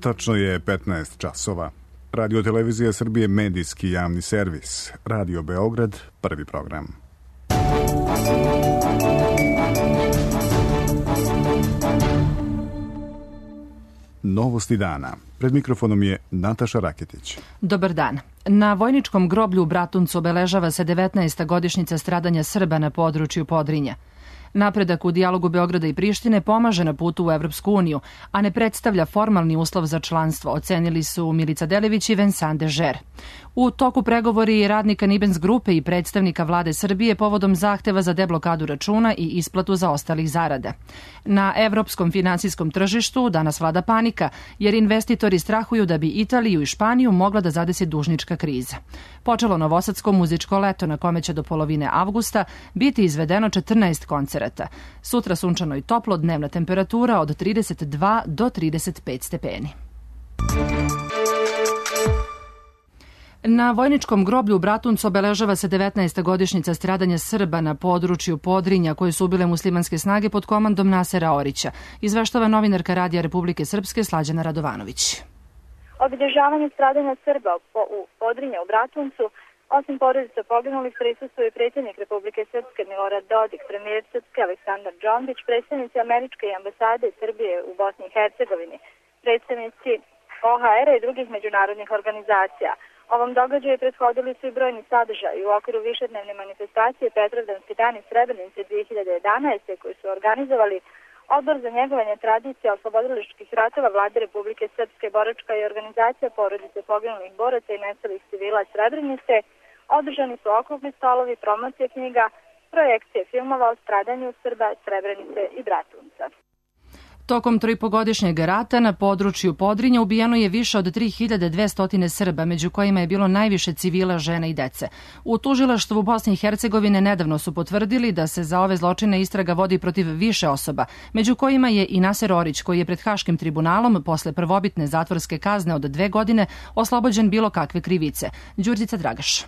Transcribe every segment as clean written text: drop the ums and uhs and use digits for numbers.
Tačno je 15 časova. Radio Televizija Srbije, medijski javni servis. Radio Beograd, prvi program. Novosti dana. Pred mikrofonom je Nataša Raketić. Dobar dan. Na vojničkom groblju u Bratuncu obeležava se 19. godišnjica stradanja Srba na području Podrinja. Napredak u dijalogu Beograda i Prištine pomaže na putu u Evropsku uniju, a ne predstavlja formalni uslov za članstvo, ocenili su Milica Delević i Vincent Dežer. U toku pregovori radnika Nibens grupe i predstavnika vlade Srbije povodom zahteva za deblokadu računa i isplatu zaostalih zarada. Na evropskom finansijskom tržištu danas vlada panika, jer investitori strahuju da bi Italiju i Španiju mogla da zadesi dužnička kriza. Počelo novosadsko muzičko leto na kome će do polovine avgusta biti izvedeno 14 koncerata. Sutra sunčano i toplo, dnevna temperatura od 32 do 35 stepeni. Na vojničkom groblju u Bratuncu obeležava se 19. godišnjica stradanja Srba na području Podrinja koje su ubile muslimanske snage pod komandom Nasera Orića, izveštava novinarka Radija Republike Srpske Slađana Radovanović. Obilježavanje stradanja Srba u Podrinja u Bratuncu, osim porodica poginulih, prisustvuje predsjednik Republike Srpske Milorad Dodik, premijer Srpske Aleksandar Džombić, predstavnici američke ambasade Srbije u Bosni i Hercegovini, predstavnici OHR-a i drugih međunarodnih organizacija. Ovom događaju prethodili su i brojni sadržaji u okviru višednevne manifestacije Petrovdanski dan iz Srebrenice 2011. koji su organizovali Odbor za njegovanje tradicija oslobodilačkih ratova Vlade Republike Srpske, boračka i organizacija porodice poginulih boraca i nestalih civila Srebrenice. Održani su okrugli stolovi, promocije knjiga, projekcije filmova o stradanju Srba, Srebrenice i Bratunca. Tokom 3,5-godišnjeg rata na području Podrinja ubijeno je više od 3200 Srba, među kojima je bilo najviše civila, žena i dece. U tužilaštvu Bosne i Hercegovine nedavno su potvrdili da se za ove zločine istraga vodi protiv više osoba, među kojima je i Naser Orić, koji je pred Haškim tribunalom posle prvobitne zatvorske kazne od 2 godine oslobođen bilo kakve krivice. Đurđica Dragaš.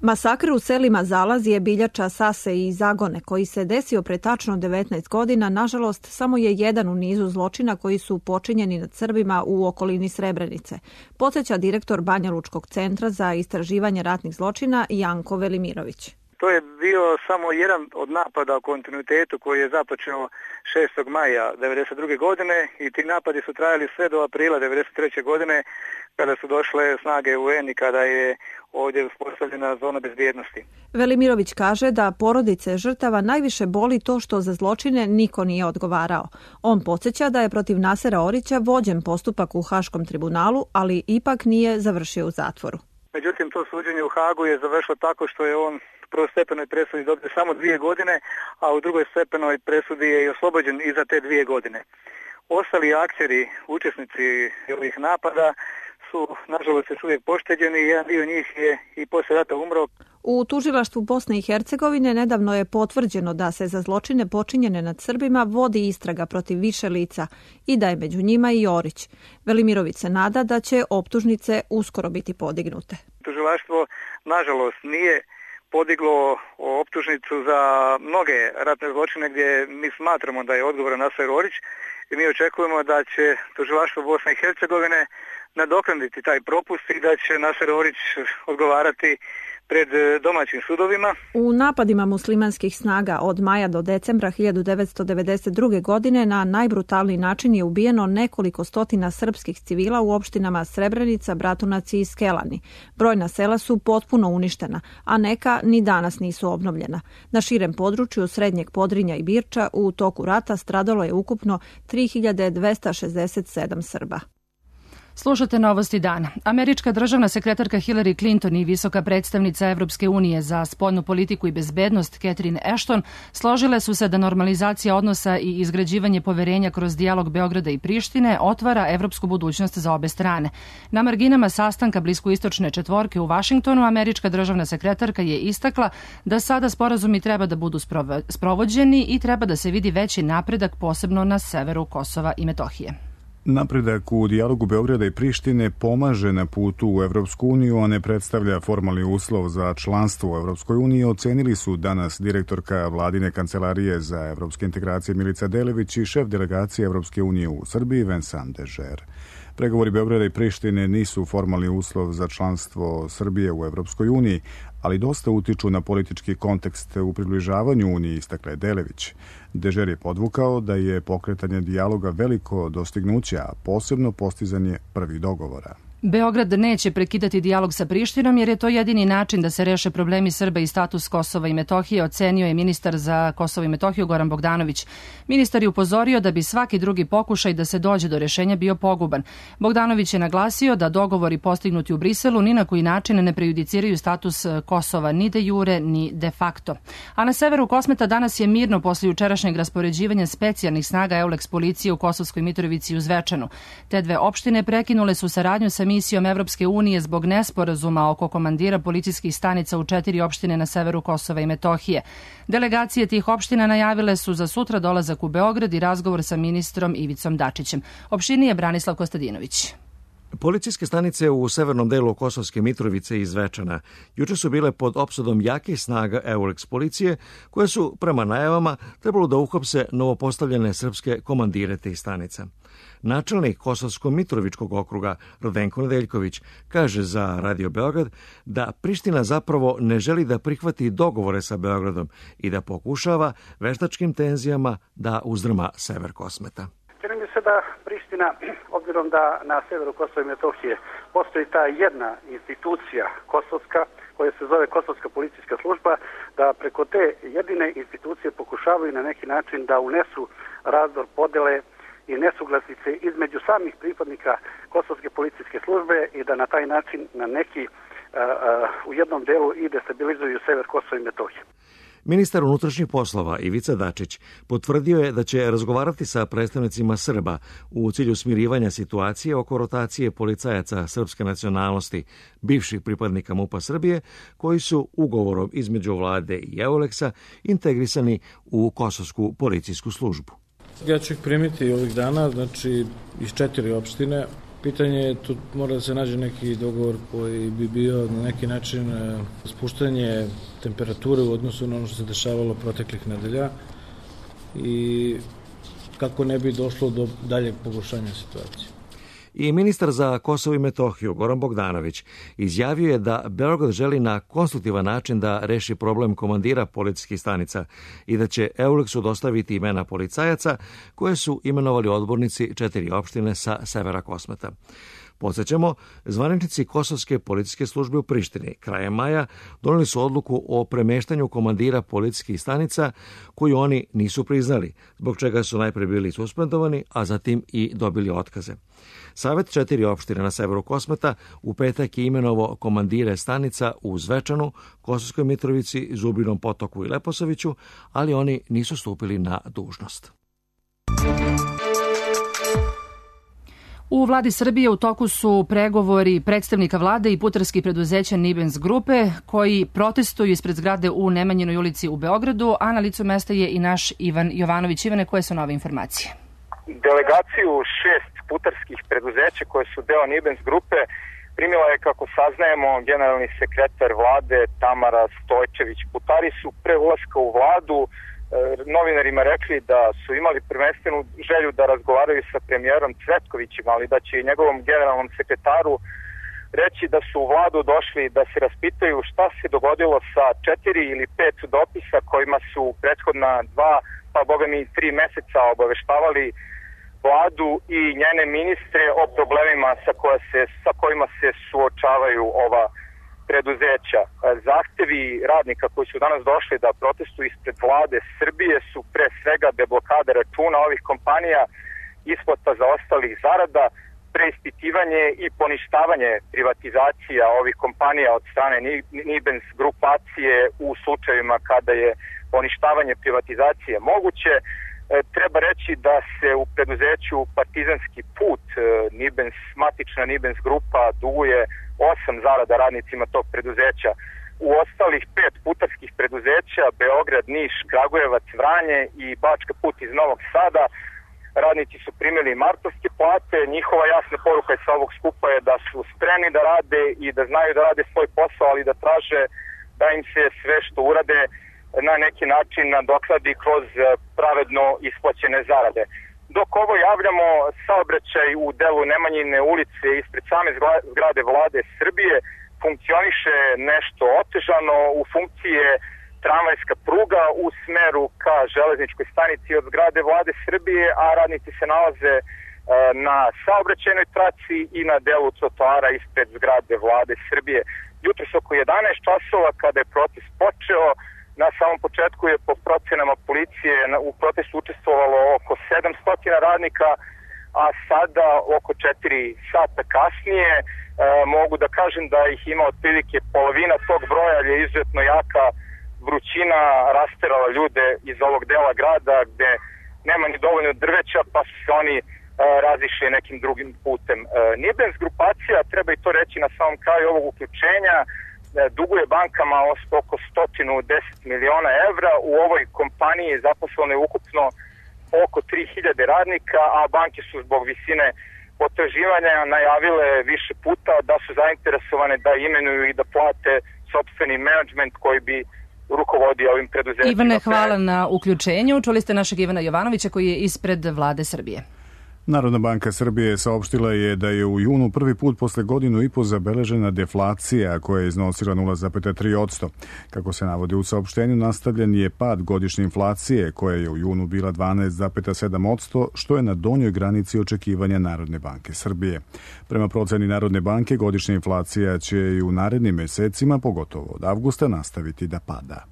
Masakr u selima Zalazije, Biljača, Sase i Zagone, koji se desio pre tačno 19 godina, nažalost, samo je jedan u nizu zločina koji su počinjeni nad Srbima u okolini Srebrenice, podsjeća direktor Banja Lučkog centra za istraživanje ratnih zločina Janko Velimirović. To je bio samo jedan od napada u kontinuitetu koji je započeo 6. maja 1992. godine i ti napadi su trajali sve do aprila 1993. godine kada su došle snage UN i kada je ovdje uspostavljena zona bezbjednosti. Velimirović kaže da porodice žrtava najviše boli to što za zločine niko nije odgovarao. On podsjeća da je protiv Nasera Orića vođen postupak u Haškom tribunalu, ali ipak nije završio u zatvoru. Međutim, to suđenje u Hagu je završilo tako što je on u prvostepenoj presudi dobio samo 2 godine, a u drugoj stepenoj presudi je i oslobođen i za te 2 godine. Ostali akteri, učesnici ovih napada su, nažalost, još uvijek pošteđeni i jedan dio njih je i poslije rata umro. U tužilaštvu Bosne i Hercegovine nedavno je potvrđeno da se za zločine počinjene nad Srbima vodi istraga protiv više lica i da je među njima i Orić. Velimirović se nada da će optužnice uskoro biti podignute. Tužilaštvo, nažalost, nije podiglo optužnicu za mnoge ratne zločine gdje mi smatramo da je odgovoran Naser Orić i mi očekujemo da će tužilaštvo Bosne i Hercegovine nadoknaditi taj propust i da će Naser Orić odgovarati pred domaćim sudovima. U napadima muslimanskih snaga od maja do decembra 1992. godine na najbrutalniji način je ubijeno nekoliko stotina srpskih civila u opštinama Srebrenica, Bratunac i Skelani. Brojna sela su potpuno uništena, a neka ni danas nisu obnovljena. Na širem području Srednjeg Podrinja i Birča u toku rata stradalo je ukupno 3267 Srba. Slušate Novosti dana. Američka državna sekretarka Hillary Clinton i visoka predstavnica Evropske unije za spoljnu politiku i bezbednost Catherine Ashton složile su se da normalizacija odnosa i izgrađivanje poverenja kroz dijalog Beograda i Prištine otvara evropsku budućnost za obe strane. Na marginama sastanka bliskoistočne četvorke u Vašingtonu američka državna sekretarka je istakla da sada sporazumi treba da budu sprovođeni i treba da se vidi veći napredak posebno na severu Kosova i Metohije. Napredak u dijalogu Beograda i Prištine pomaže na putu u Evropsku uniju, a ne predstavlja formalni uslov za članstvo u Evropskoj uniji, ocenili su danas direktorka Vladine kancelarije za evropske integracije Milica Delević i šef delegacije Evropske unije u Srbiji Vincent Dežer. Pregovori Beograda i Prištine nisu formalni uslov za članstvo Srbije u Evropskoj uniji, ali dosta utiču na politički kontekst u približavanju Uniji, istakla je Delević. Dežer je podvukao da je pokretanje dijaloga veliko dostignuće, a posebno postizanje prvih dogovora. Beograd neće prekidati dijalog sa Prištinom jer je to jedini način da se reše problemi Srba i status Kosova i Metohije, ocenio je ministar za Kosovo i Metohiju Goran Bogdanović. Ministar je upozorio da bi svaki drugi pokušaj da se dođe do rešenja bio poguban. Bogdanović je naglasio da dogovori postignuti u Briselu ni na koji način ne prejudiciraju status Kosova ni de jure ni de facto. A na severu Kosmeta danas je mirno posle jučerašnjeg raspoređivanja specijalnih snaga EULEX policije u Kosovskoj Mitrovici i u Zvečanu. Te dve opštine prekinule su saradnju sa misijom Evropske unije zbog nesporazuma oko komandira policijskih stanica u 4 opštine na severu Kosova i Metohije. Delegacije tih opština najavile su za sutra dolazak u Beograd i razgovor sa ministrom Ivicom Dačićem. Opštinije Branislav Kostadinović. Policijske stanice u severnom delu Kosovske Mitrovice i Zvečana juče su bile pod opsadom jakih snaga EULEX policije, koje su, prema najavama, trebalo da uhapse novopostavljene srpske komandire tih stanica. Načelnik Kosovsko-Mitrovičkog okruga Radenko Nedeljković kaže za Radio Beograd da Priština zapravo ne želi da prihvati dogovore sa Beogradom i da pokušava veštačkim tenzijama da uzdrma sever Kosmeta. Čini mi se da Priština, obzirom da na severu Kosova i Metohije postoji ta jedna institucija kosovska, koja se zove Kosovska policijska služba, da preko te jedine institucije pokušavaju na neki način da unesu razdor, podele i nesuglasice između samih pripadnika Kosovske policijske službe i da na taj način na neki u jednom delu i destabilizuju sever Kosova i Metohije. Ministar unutrašnjih poslova Ivica Dačić potvrdio je da će razgovarati sa predstavnicima Srba u cilju smirivanja situacije oko rotacije policajaca srpske nacionalnosti, bivših pripadnika MUP-a Srbije, koji su ugovorom između vlade i EULEX-a integrisani u Kosovsku policijsku službu. Ja ću ih primiti ovih dana, znači iz 4 opštine. Pitanje je, tu mora da se nađe neki dogovor koji bi bio na neki način spuštanje temperature u odnosu na ono što se dešavalo proteklih nedelja i kako ne bi došlo do daljeg pogoršanja situacije. I ministar za Kosovo i Metohiju Goran Bogdanović izjavio je da Beograd želi na konstruktivan način da reši problem komandira policijskih stanica i da će EULEX-u dostaviti imena policajaca koje su imenovali odbornici 4 opštine sa severa Kosmeta. Podsećamo, zvaničnici Kosovske policijske službe u Prištini krajem maja doneli su odluku o premeštanju komandira policijskih stanica koju oni nisu priznali, zbog čega su najpre bili suspendovani, a zatim i dobili otkaze. Savet 4 opštine na severu Kosmeta u petak je imenovao komandire stanica u Zvečanu, Kosovskoj Mitrovici, Zubinom Potoku i Leposaviću, ali oni nisu stupili na dužnost. U vladi Srbije u toku su pregovori predstavnika vlade i putarskih preduzeća Nibens grupe koji protestuju ispred zgrade u Nemanjinoj ulici u Beogradu, a na licu mesta je i naš Ivan Jovanović. Ivane, koje su nove informacije? Delegaciju 6 putarskih preduzeća koje su deo Nibens grupe primila je, kako saznajemo, generalni sekretar vlade Tamara Stojčević. Putari su pre ulaska u vladu novinarima rekli da su imali prvenstvenu želju da razgovaraju sa premijerom Cvetkovićem, ali da će i njegovom generalnom sekretaru reći da su u vladu došli da se raspitaju šta se dogodilo sa 4 ili 5 dopisa kojima su prethodna 2, pa boga mi 3 meseca obaveštavali vladu i njene ministre o problemima sa kojima se suočavaju ova preduzeća. Zahtevi radnika koji su danas došli da protestuju ispred vlade Srbije su pre svega deblokada računa ovih kompanija, isplata zaostalih zarada, preispitivanje i poništavanje privatizacija ovih kompanija od strane Nibens grupacije u slučajevima kada je poništavanje privatizacije moguće. Treba reći da se u preduzeću Partizanski put matična Nibens grupa duguje 8 zarada radnicima tog preduzeća. U ostalih 5 putarskih preduzeća, Beograd, Niš, Kragujevac, Vranje i Bačka put iz Novog Sada, radnici su primili martovske plate. Njihova jasna poruka sa ovog skupa je da su spremni da rade i da znaju da rade svoj posao, ali da traže da im se sve što urade na neki način nadoknadi kroz pravedno isplaćene zarade. Dok ovo javljamo, saobraćaj u delu Nemanjine ulice ispred same zgrade Vlade Srbije funkcioniše nešto otežano. U funkciji je tramvajska pruga u smeru ka železničkoj stanici od zgrade Vlade Srbije, a radnici se nalaze na saobraćajnoj traci i na delu trotoara ispred zgrade Vlade Srbije. Jutros oko 11 časova kada je protest počeo, na samom početku je po procenama policije u protestu učestvovalo oko 700 radnika, a sada oko 4 sata kasnije mogu da kažem da ih ima otprilike polovina tog broja, jer je izuzetno jaka vrućina rasterala ljude iz ovog dela grada gde nema ni dovoljno drveća, pa su se oni razišli nekim drugim putem. Nibens grupacija, treba i to reći na samom kraju ovog uključenja, duguje bankama oko 110 miliona evra. U ovoj kompaniji zaposleno je ukupno oko 3000 radnika, a banke su zbog visine potraživanja najavile više puta da su zainteresovane da imenuju i da plate sopstveni menadžment koji bi rukovodio ovim preduzećima. Ivane, hvala na uključenju. Čuli ste našeg Ivana Jovanovića koji je ispred Vlade Srbije. Narodna banka Srbije saopštila je da je u junu prvi put posle godinu i po zabeležena deflacija koja je iznosila 0,3%. Kako se navodi u saopštenju, nastavljen je pad godišnje inflacije koja je u junu bila 12,7%, što je na donjoj granici očekivanja Narodne banke Srbije. Prema proceni Narodne banke, godišnja inflacija će i u narednim mesecima, pogotovo od avgusta, nastaviti da pada.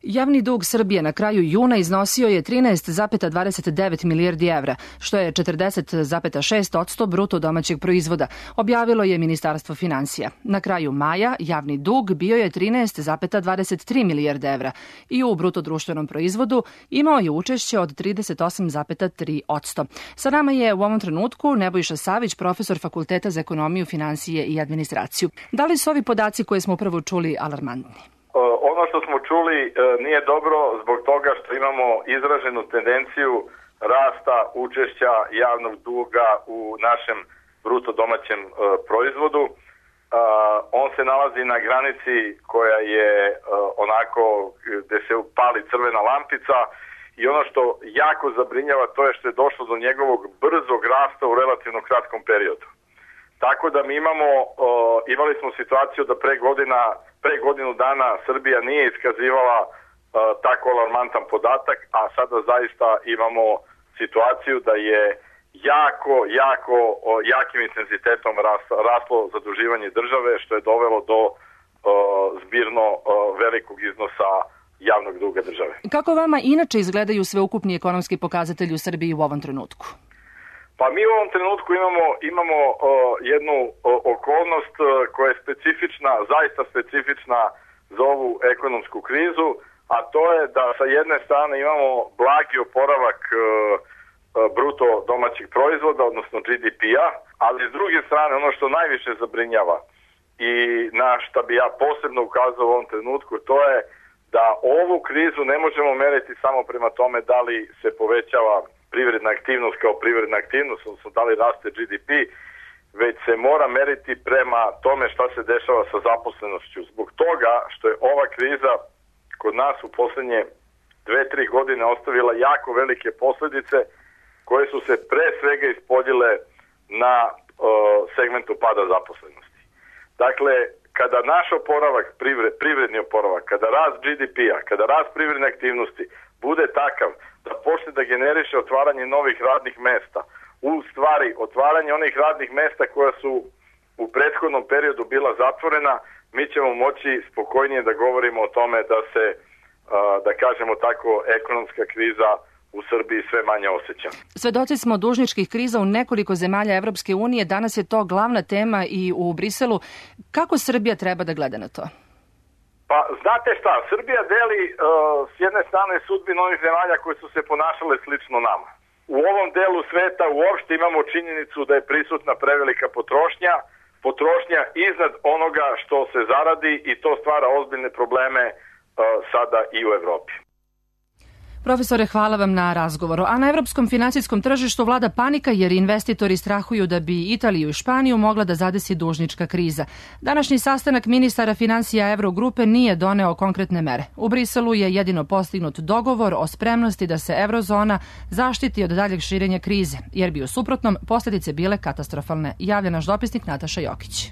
Javni dug Srbije na kraju juna iznosio je 13,29 milijardi evra, što je 40,6% bruto domaćeg proizvoda, objavilo je Ministarstvo finansija. Na kraju maja javni dug bio je 13,23 milijarde evra i u bruto društvenom proizvodu imao je učešće od 38,3%. Sa nama je u ovom trenutku Nebojša Savić, profesor Fakulteta za ekonomiju, finansije i administraciju. Da li su ovi podaci koje smo upravo čuli alarmantni? Ono što smo čuli nije dobro zbog toga što imamo izraženu tendenciju rasta učešća javnog duga u našem bruto domaćem proizvodu. On se nalazi na granici koja je onako gde se pali crvena lampica i ono što jako zabrinjava to je što je došlo do njegovog brzog rasta u relativno kratkom periodu. Tako da mi imali smo situaciju da pre godinu dana Srbija nije iskazivala tako alarmantan podatak, a sada zaista imamo situaciju da je jakim intenzitetom raslo zaduživanje države, što je dovelo do zbirno velikog iznosa javnog duga države. Kako vama inače izgledaju sveukupni ekonomski pokazatelji u Srbiji u ovom trenutku? Pa mi u ovom trenutku imamo jednu okolnost koja je specifična, zaista specifična za ovu ekonomsku krizu, a to je da sa jedne strane imamo blagi oporavak bruto domaćeg proizvoda, odnosno GDP-a, ali s druge strane ono što najviše zabrinjava i na šta bi ja posebno ukazao u ovom trenutku, to je da ovu krizu ne možemo meriti samo prema tome da li se povećava privredna aktivnost kao privredna aktivnost, odnosno da li raste GDP, već se mora meriti prema tome šta se dešava sa zaposlenošću. Zbog toga što je ova kriza kod nas u poslednje 2-3 godine ostavila jako velike posledice koje su se pre svega ispoljile na segmentu pada zaposlenosti. Dakle, kada naš oporavak, privredni oporavak, kada rast GDP-a, kada rast privredne aktivnosti bude takav da počne da generiše otvaranje novih radnih mesta, u stvari otvaranje onih radnih mesta koja su u prethodnom periodu bila zatvorena, mi ćemo moći spokojnije da govorimo o tome da se, da kažemo tako, ekonomska kriza u Srbiji sve manje osjeća. Svedoci smo dužničkih kriza u nekoliko zemalja Evropske unije, danas je to glavna tema i u Briselu. Kako Srbija treba da gleda na to? Pa znate šta, Srbija deli s jedne strane sudbinu onih zemalja koje su se ponašale slično nama. U ovom delu sveta uopšte imamo činjenicu da je prisutna prevelika potrošnja iznad onoga što se zaradi i to stvara ozbiljne probleme sada i u Evropi. Profesore, hvala vam na razgovoru. A na evropskom finansijskom tržištu vlada panika jer investitori strahuju da bi Italiju i Španiju mogla da zadesi dužnička kriza. Današnji sastanak ministara finansija Evrogrupe nije doneo konkretne mere. U Briselu je jedino postignut dogovor o spremnosti da se eurozona zaštiti od daljeg širenja krize, jer bi u suprotnom posljedice bile katastrofalne, javlja naš dopisnik Nataša Jokić.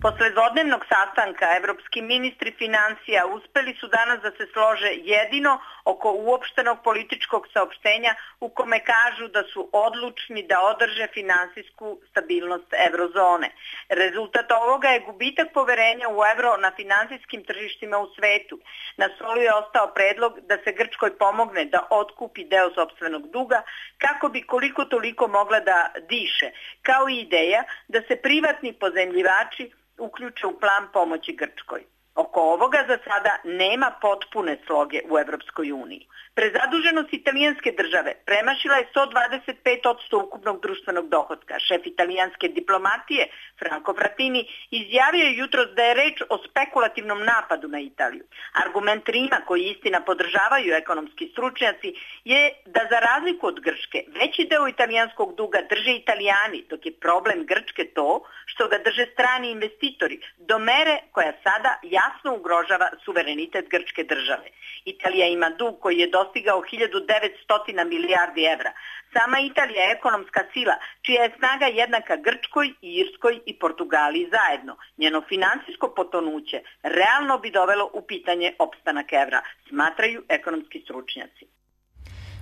Posle dvodnevnog sastanka evropski ministri finansija uspeli su danas da se slože jedino oko uopštenog političkog saopštenja u kome kažu da su odlučni da održe finansijsku stabilnost eurozone. Rezultat ovoga je gubitak poverenja u evro na finansijskim tržištima u svetu. Na stolu je ostao predlog da se Grčkoj pomogne da otkupi deo sopstvenog duga kako bi koliko toliko mogla da diše, kao i ideja da se privatni pozajmljivači uključe u plan pomoći Grčkoj. Oko ovoga za sada nema potpune sloge u Evropskoj uniji. Prezaduženost italijanske države premašila je 125% ukupnog društvenog dohotka. Šef italijanske diplomatije, Franco Frattini, izjavio je jutros da je reč o spekulativnom napadu na Italiju. Argument Rima, koji istina podržavaju ekonomski stručnjaci, je da za razliku od Grčke, veći deo italijanskog duga drže Italijani, dok je problem Grčke to što ga drže strani investitori, do mere koja sada jasno ugrožava suverenitet grčke države. Italija ima dug koji je dostigao 1900 milijardi evra. Sama Italija je ekonomska sila, čija je snaga jednaka Grčkoj, Irskoj i Portugaliji zajedno. Njeno finansijsko potonuće realno bi dovelo u pitanje opstanak evra, smatraju ekonomski stručnjaci.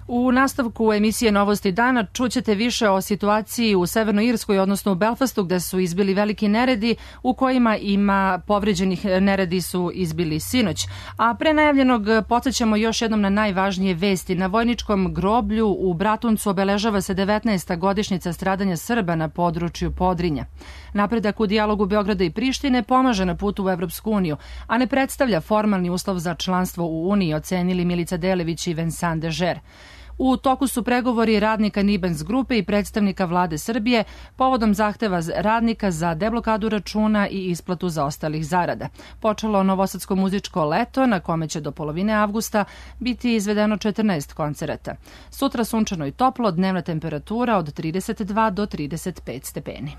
U nastavku emisije Novosti dana čućete više o situaciji u Severnoj Irskoj, odnosno u Belfastu, gde su izbili veliki neredi u kojima ima povređenih. Neredi su izbili sinoć. A pre najavljenog podsjećamo još jednom na najvažnije vesti. Na vojničkom groblju u Bratuncu obeležava se 19. godišnjica stradanja Srba na području Podrinja. Napredak u dijalogu Beograda i Prištine pomaže na putu u Evropsku uniju, a ne predstavlja formalni uslov za članstvo u Uniji, ocenili Milica Delević i Vincent Dežer. U toku su pregovori radnika Nibens grupe i predstavnika vlade Srbije povodom zahteva radnika za deblokadu računa i isplatu zaostalih zarada. Počelo novosadsko muzičko leto na kome će do polovine avgusta biti izvedeno 14 koncerata. Sutra sunčano i toplo, dnevna temperatura od 32 do 35 stepeni.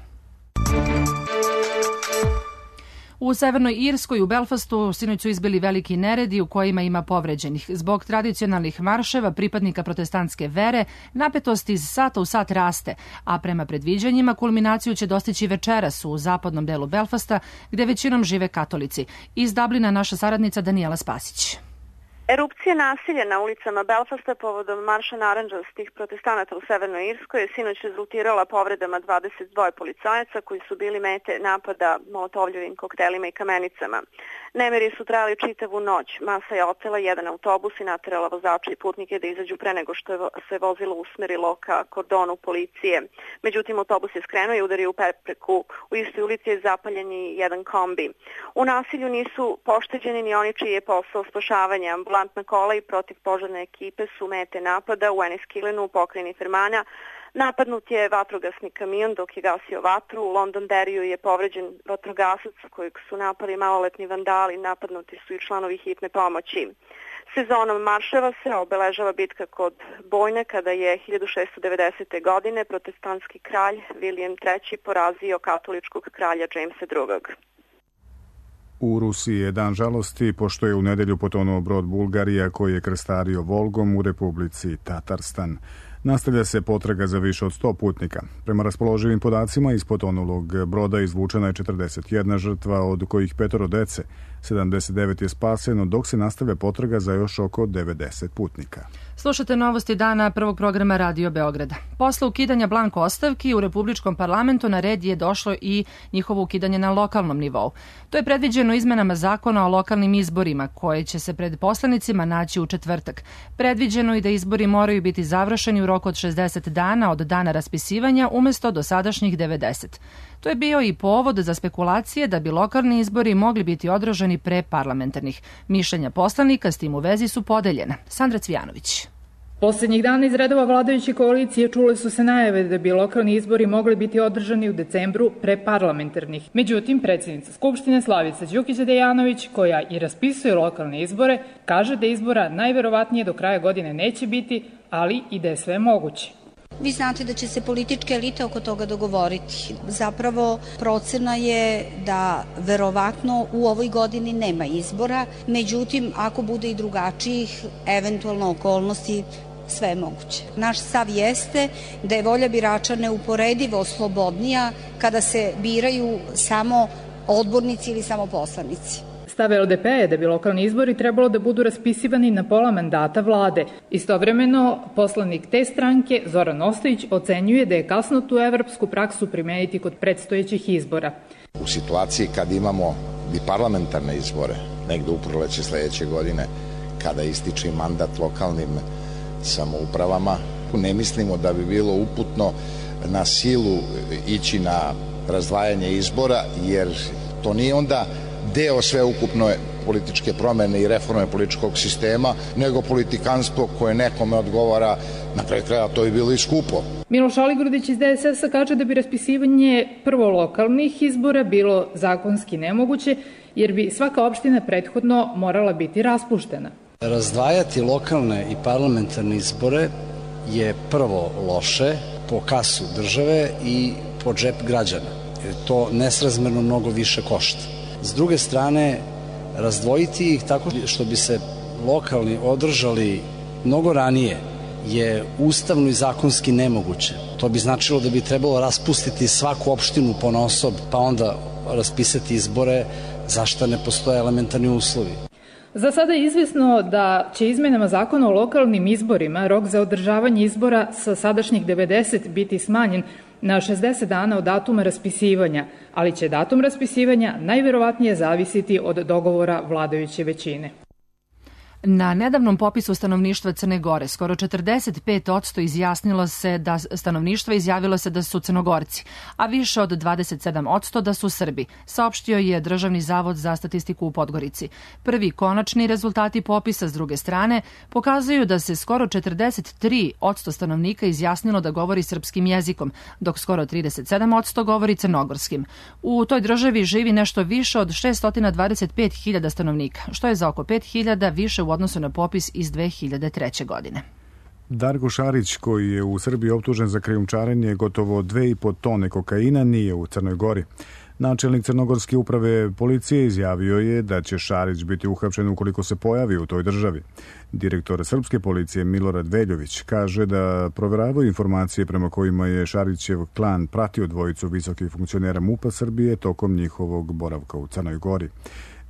U Severnoj Irskoj u Belfastu sinoć su izbili veliki neredi u kojima ima povređenih. Zbog tradicionalnih marševa pripadnika protestantske vere, napetost iz sata u sat raste, a prema predviđanjima kulminaciju će dostići večeras u zapadnom delu Belfasta, gde većinom žive katolici. Iz Dublina naša saradnica Danijela Spasić. Erupcija nasilja na ulicama Belfasta povodom marša narandžastih protestanata u Severnoj Irskoj je sinoć rezultirala povredama 22 policajaca koji su bili mete napada molotovljevim koktelima i kamenicama. Nemiri su trajali čitavu noć. Masa je otela jedan autobus i naterala vozača i putnike da izađu pre nego što se vozilo usmerilo ka kordonu policije. Međutim, autobus je skrenuo i udario u prepreku. U istoj ulici je zapaljen i jedan kombi. U nasilju nisu pošteđeni ni oni čiji je posao spašavanja. Ambulantna kola i protivpožarne ekipe su mete napada u Enniskillenu u pokrajini Fermana. Napadnut je vatrogasni kamion dok je gasio vatru. U Londonderriju je povređen vatrogasac kojeg su napali maloletni vandali. Napadnuti su i članovi hitne pomoći. Sezonom marševa se obeležava bitka kod Bojne kada je 1690. godine protestantski kralj William III. Porazio katoličkog kralja Jamesa II. U Rusiji je dan žalosti pošto je u nedelju potonuo brod Bulgarija koji je krstario Volgom u Republici Tatarstan. Nastavlja se potraga za više od 100 putnika. Prema raspoloživim podacima iz potonulog broda izvučena je 41 žrtva, od kojih 5 dece. 79 je spaseno, dok se nastavlja potraga za još oko 90 putnika. Slušate Novosti dana prvog programa Radio Beograda. Posle ukidanja blanko ostavki u Republičkom parlamentu na red je došlo i njihovo ukidanje na lokalnom nivou. To je predviđeno izmenama zakona o lokalnim izborima, koje će se pred poslanicima naći u četvrtak. Predviđeno i da izbori moraju biti završeni u roku od 60 dana od dana raspisivanja umesto dosadašnjih 90. To je bio i povod za spekulacije da bi lokalni izbori mogli biti održani pre parlamentarnih. Mišljenja poslanika s tim u vezi su podeljena. Sandra Cvijanović. Poslednjih dana iz redova vladajuće koalicije čule su se najave da bi lokalni izbori mogli biti održani u decembru pre parlamentarnih. Međutim, predsjednica Skupštine Slavica Đukić-Dejanović, koja i raspisuje lokalne izbore, kaže da izbora najverovatnije do kraja godine neće biti, ali i da je sve moguće. Vi znate da će se političke elite oko toga dogovoriti. Zapravo procena je da verovatno u ovoj godini nema izbora, međutim ako bude i drugačijih eventualno okolnosti, sve je moguće. Naš stav jeste da je volja birača neuporedivo slobodnija kada se biraju samo odbornici ili samo poslanici. Stav LDP je da bi lokalni izbori trebalo da budu raspisivani na pola mandata vlade. Istovremeno, poslanik te stranke, Zoran Ostojić, ocenjuje da je kasno tu evropsku praksu primeniti kod predstojećih izbora. U situaciji kad imamo i parlamentarne izbore, negde u proleće sledeće godine, kada ističe mandat lokalnim samoupravama, ne mislimo da bi bilo uputno na silu ići na razdvajanje izbora, jer to nije onda deo sveukupne političke promene i reforme političkog sistema, nego politikanstvo koje nekome odgovara, na kraju kraja to bi bilo i skupo. Miloš Aligrudić iz DSS-a kaže da bi raspisivanje prvo lokalnih izbora bilo zakonski nemoguće, jer bi svaka opština prethodno morala biti raspuštena. Razdvajati lokalne i parlamentarne izbore je prvo loše po kasu države i po džep građana, jer to nesrazmerno mnogo više košta. S druge strane, razdvojiti ih tako što bi se lokalni održali mnogo ranije je ustavno i zakonski nemoguće. To bi značilo da bi trebalo raspustiti svaku opštinu ponaosob, pa onda raspisati izbore, zašto ne postoje elementarni uslovi. Za sada je izvesno da će izmenama zakona o lokalnim izborima rok za održavanje izbora sa sadašnjih 90 biti smanjen na 60 dana od datuma raspisivanja, ali će datum raspisivanja najverovatnije zavisiti od dogovora vladajuće većine. Na nedavnom popisu stanovništva Crne Gore skoro 45% stanovništva izjavilo se da su Crnogorci, a više od 27% da su Srbi, saopštio je Državni zavod za statistiku u Podgorici. Prvi konačni rezultati popisa s druge strane pokazuju da se skoro 43% stanovnika izjasnilo da govori srpskim jezikom, dok skoro 37% govori crnogorskim. U toj državi živi nešto više od 625.000 stanovnika, što je za oko 5.000 više u odnosu na popis iz 2003. godine. Darko Šarić, koji je u Srbiji optužen za krijumčarenje gotovo 2,5 tone kokaina, nije u Crnoj Gori. Načelnik Crnogorske uprave policije izjavio je da će Šarić biti uhapšen ukoliko se pojavi u toj državi. Direktor srpske policije Milorad Veljović kaže da proveravaju informacije prema kojima je Šarićev klan pratio dvojicu visokih funkcionera MUP-a Srbije tokom njihovog boravka u Crnoj Gori.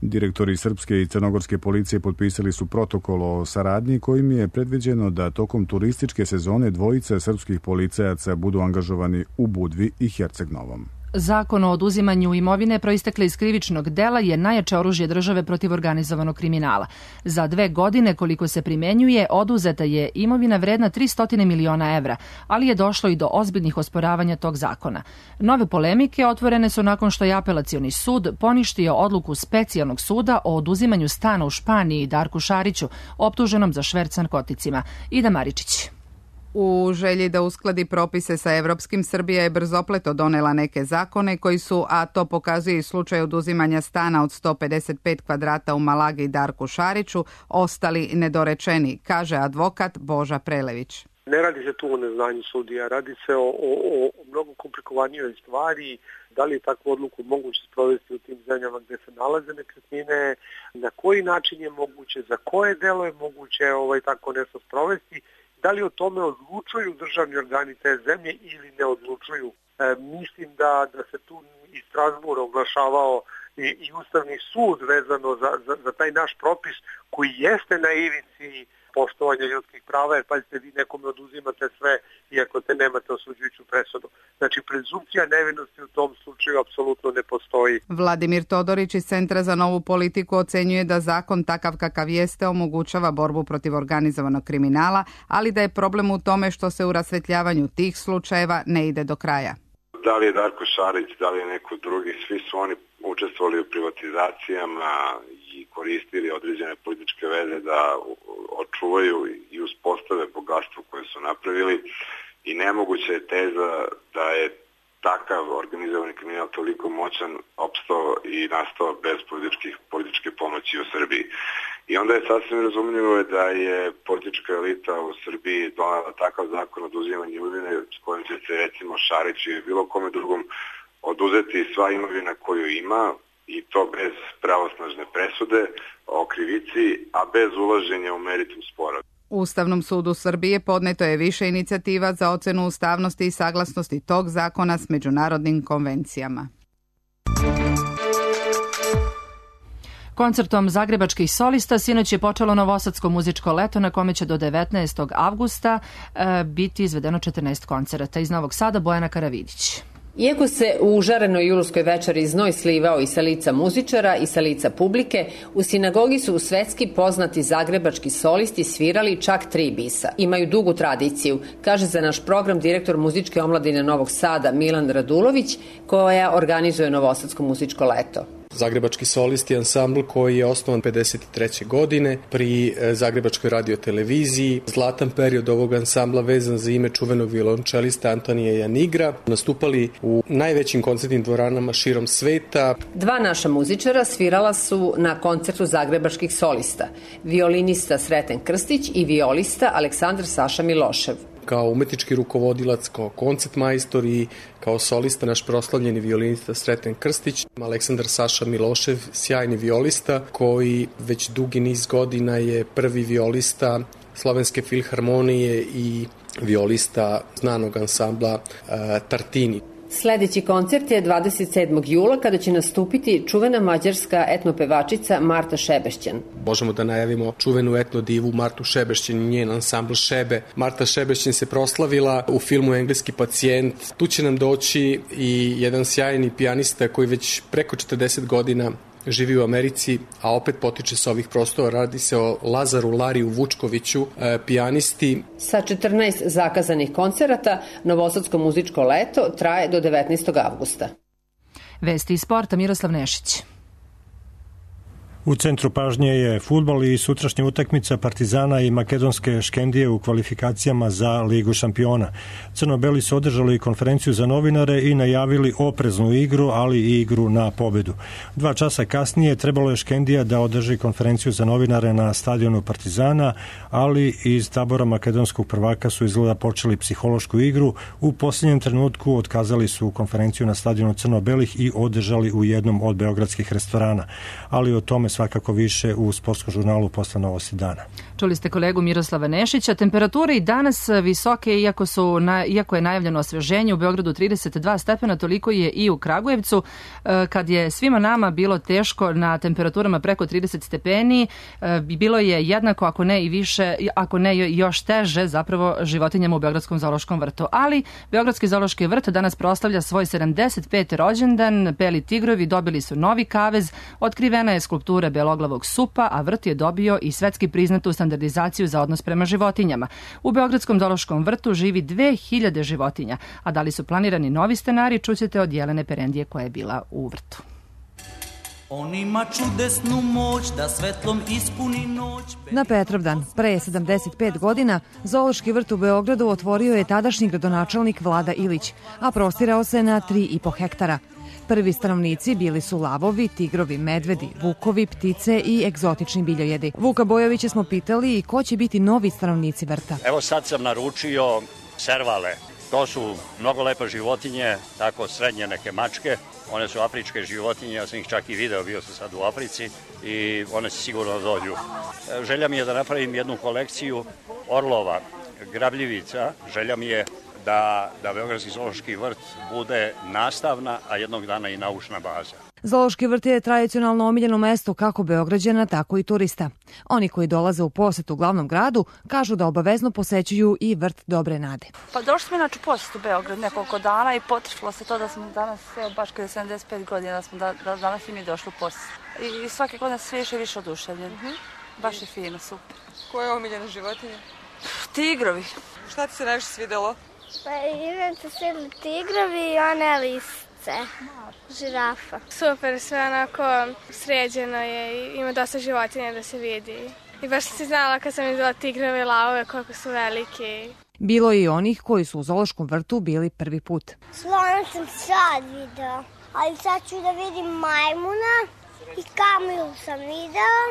Direktori srpske i crnogorske policije potpisali su protokol o saradnji kojim je predviđeno da tokom turističke sezone dvojica srpskih policajaca budu angažovani u Budvi i Herceg Novom. Zakon o oduzimanju imovine proistekle iz krivičnog dela je najjače oružje države protiv organizovanog kriminala. Za 2 godine koliko se primenjuje, oduzeta je imovina vredna 300 miliona evra, ali je došlo i do ozbiljnih osporavanja tog zakona. Nove polemike otvorene su nakon što je Apelacioni sud poništio odluku Specijalnog suda o oduzimanju stana u Španiji Darku Šariću, optuženom za šverc narkoticima. Ida Maričić. U želji da uskladi propise sa evropskim, Srbija je brzopleto donela neke zakone koji su, a to pokazuje i slučaj oduzimanja stana od 155 kvadrata u Malagi Darku Šariću, ostali nedorečeni, kaže advokat Boža Prelević. Ne radi se tu o neznanju sudija, radi se o mnogo komplikovanijoj stvari, da li je takvu odluku moguće sprovesti u tim zemljama gde se nalaze nekretnine, na koji način je moguće, za koje delo je moguće tako nešto sprovesti, da li o tome odlučuju državni organi te zemlje ili ne odlučuju. Mislim da se tu i Strasbourg oglašavao i Ustavni sud vezano za taj naš propis koji jeste na ivici poštovanja ljudskih prava, jer pazite, vi nekome oduzimate sve iako te nemate osuđujuću presudu. Znači, prezumpcija nevinosti u tom slučaju apsolutno ne postoji. Vladimir Todorić iz Centra za novu politiku ocenjuje da zakon takav kakav jeste omogućava borbu protiv organizovanog kriminala, ali da je problem u tome što se u rasvetljavanju tih slučajeva ne ide do kraja. Da li je Darko Šarić, da li je neko drugi, svi su oni učestvovali u privatizacijama i koristili određene političke veze da očuvaju i uspostave bogatstvo koje su napravili i nemoguća je teza da je takav organizovani kriminal toliko moćan opstao i nastao bez političke pomoći u Srbiji. I onda je sasvim razumljivo da je politička elita u Srbiji donala takav zakon o oduzimanju imovine s kojim će se recimo Šariću ili bilo kome drugom oduzeti sva imovina koju ima i to bez pravosnažne presude o krivici, a bez ulaženja u meritum spora. Ustavnom sudu Srbije podneto je više inicijativa za ocenu ustavnosti i saglasnosti tog zakona s međunarodnim konvencijama. Koncertom zagrebačkih solista sinoć je počelo novosadsko muzičko leto na kome će do 19. avgusta biti izvedeno 14 koncerata. Iz Novog Sada Bojana Karavidić. Iako se u užarenoj julskoj večeri znoj slivao i sa lica muzičara i sa lica publike, u sinagogi su svetski poznati zagrebački solisti svirali čak 3 bisa. Imaju dugu tradiciju, kaže za naš program direktor muzičke omladine Novog Sada Milan Radulović, koja organizuje novosadsko muzičko leto. Zagrebački solisti ansambl koji je osnovan 53. godine pri Zagrebačkoj radioteleviziji. Zlatan period ovog ansambla vezan za ime čuvenog violončelista Antonija Janigra. Nastupali u najvećim koncertnim dvoranama širom sveta. 2 naša muzičara svirala su na koncertu zagrebačkih solista. Violinista Sreten Krstić i violista Aleksandar Saša Milošev. Kao umetnički rukovodilac, kao koncertmajstor i kao solista naš proslavljeni violinista Sreten Krstić, Aleksandar Saša Milošev, sjajni violista koji već dugi niz godina je prvi violista Slovenske filharmonije i violista znanog ansambla Tartini. Sljedeći koncert je 27. jula kada će nastupiti čuvena mađarska etnopevačica Marta Šebešćan. Možemo da najavimo čuvenu etno divu Martu Šebešćan i njen ansambl Šebe. Marta Šebešćan se proslavila u filmu Engleski pacijent. Tu će nam doći i jedan sjajni pijanista koji već preko 40 godina živi u Americi, a opet potiče sa ovih prostora. Radi se o Lazaru Lariju Vučkoviću, pijanisti. Sa 14 zakazanih koncerata, novosadsko muzičko leto traje do 19. avgusta. Vesti iz sporta, Miroslav Nešić. U centru pažnje je fudbal i sutrašnja utakmica Partizana i makedonske Škendije u kvalifikacijama za Ligu šampiona. Crno-beli su održali konferenciju za novinare i najavili opreznu igru, ali i igru na pobedu. 2 časa kasnije trebalo je Škendija da održi konferenciju za novinare na stadionu Partizana, ali iz tabora makedonskog prvaka su izgleda počeli psihološku igru. U posljednjem trenutku otkazali su konferenciju na stadionu Crno-belih i održali u jednom od beogradskih restorana. Ali o tome svakako više u sportskom žurnalu posle Novosti dana. Čuli ste kolegu Miroslava Nešića. Temperature i danas visoke, iako je najavljeno osveženje, u Beogradu 32 stepena, toliko je i u Kragujevcu. Kad je svima nama bilo teško na temperaturama preko 30 stepeni, bilo je jednako, ako ne i više, ako ne još teže, zapravo životinjama u Beogradskom zoološkom vrtu. Ali Beogradski zoološki vrt danas proslavlja svoj 75. rođendan. Beli tigrovi dobili su novi kavez, otkrivena je skulptura beloglavog supa, a vrt je dobio i svetski priznatu standardizaciju za odnos prema životinjama. U Beogradskom zoološkom vrtu živi 2000 životinja, a da li su planirani novi stenari, čućete od Jelene Perendije koja je bila u vrtu. On ima čudesnu moć da svetlom ispuni noć. Na Petrovdan, pre 75 godina, Zoološki vrt u Beogradu otvorio je tadašnji gradonačelnik Vlada Ilić, a prostirao se na 3,5 hektara. Prvi stanovnici bili su lavovi, tigrovi, medvedi, vukovi, ptice i egzotični biljojedi. Vuka Bojovića smo pitali i ko će biti novi stanovnici vrta. Evo sad sam naručio servale. To su mnogo lepe životinje, tako srednje neke mačke. One su afričke životinje, ja sam ih čak i video, bio sam sad u Africi i one se sigurno dođu. Želja mi je da napravim jednu kolekciju orlova, grabljivica. Želja mi je da Beogradski zoološki vrt bude nastavna, a jednog dana i naučna baza. Zoološki vrt je tradicionalno omiljeno mesto kako Beograđana, tako i turista. Oni koji dolaze u posetu glavnom gradu kažu da obavezno posećuju i vrt Dobre nade. Pa došli smo inače u posetu Beograd nekoliko dana i potrefilo se to da smo danas, baš kada je 75 godina, da smo danas i mi došli u posetu. I svake godine sve više i više oduševljeni. Baš je fino, super. Koje je omiljeno životinje? Tigrovi. Šta ti se najviše svidelo? Pa inače svi tigrovi i one lisce. mace, žirafa. Super, sve onako sređeno je i ima dosta životinja da se vidi. I baš sam si znala kad sam videla tigrove i lavove koliko su velike. Bilo je i onih koji su u zoološkom vrtu bili prvi put. Slona sam sad video, ali sad ću da vidim majmuna i kamilu sam video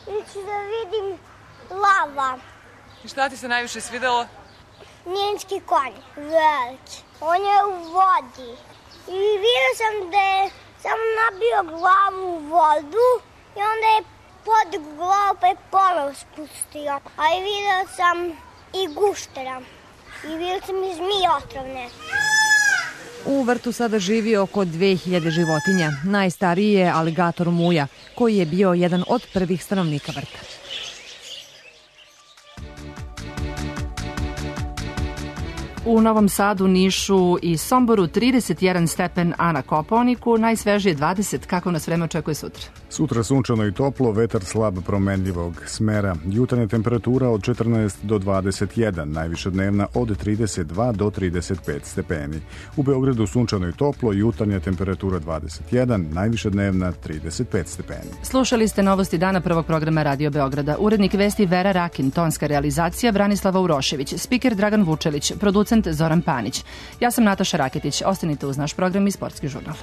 i ću da vidim lava. I šta ti se najviše svidelo? Njenski konj, veliki. On je u vodi. I vidio sam da je samo nabio glavu u vodu i onda je podigao glavu pa je ponovo spustio. A i vidio sam i guštera. I vidio sam i zmije otrovne. U vrtu sada živi oko 2000 životinja. Najstariji je aligator Muja, koji je bio jedan od prvih stanovnika vrta. U Novom Sadu, Nišu i Somboru 31 stepen, a na Kopaoniku najsvežije 20. Kako nas vreme očekuje sutra? Sutra sunčano i toplo, vetar slab promenljivog smera. Jutarnja temperatura od 14 do 21, najviša dnevna od 32 do 35 stepeni. U Beogradu sunčano i toplo, jutarnja temperatura 21, najviša dnevna 35 stepeni. Slušali ste novosti dana prvog programa Radio Beograda. Urednik vesti Vera Rakin, tonska realizacija Branislava Urošević, spiker Dragan Vučelić, producent Zoran Panić. Ja sam Nataša Raketić. Ostanite uz naš program i Sportski žurnal.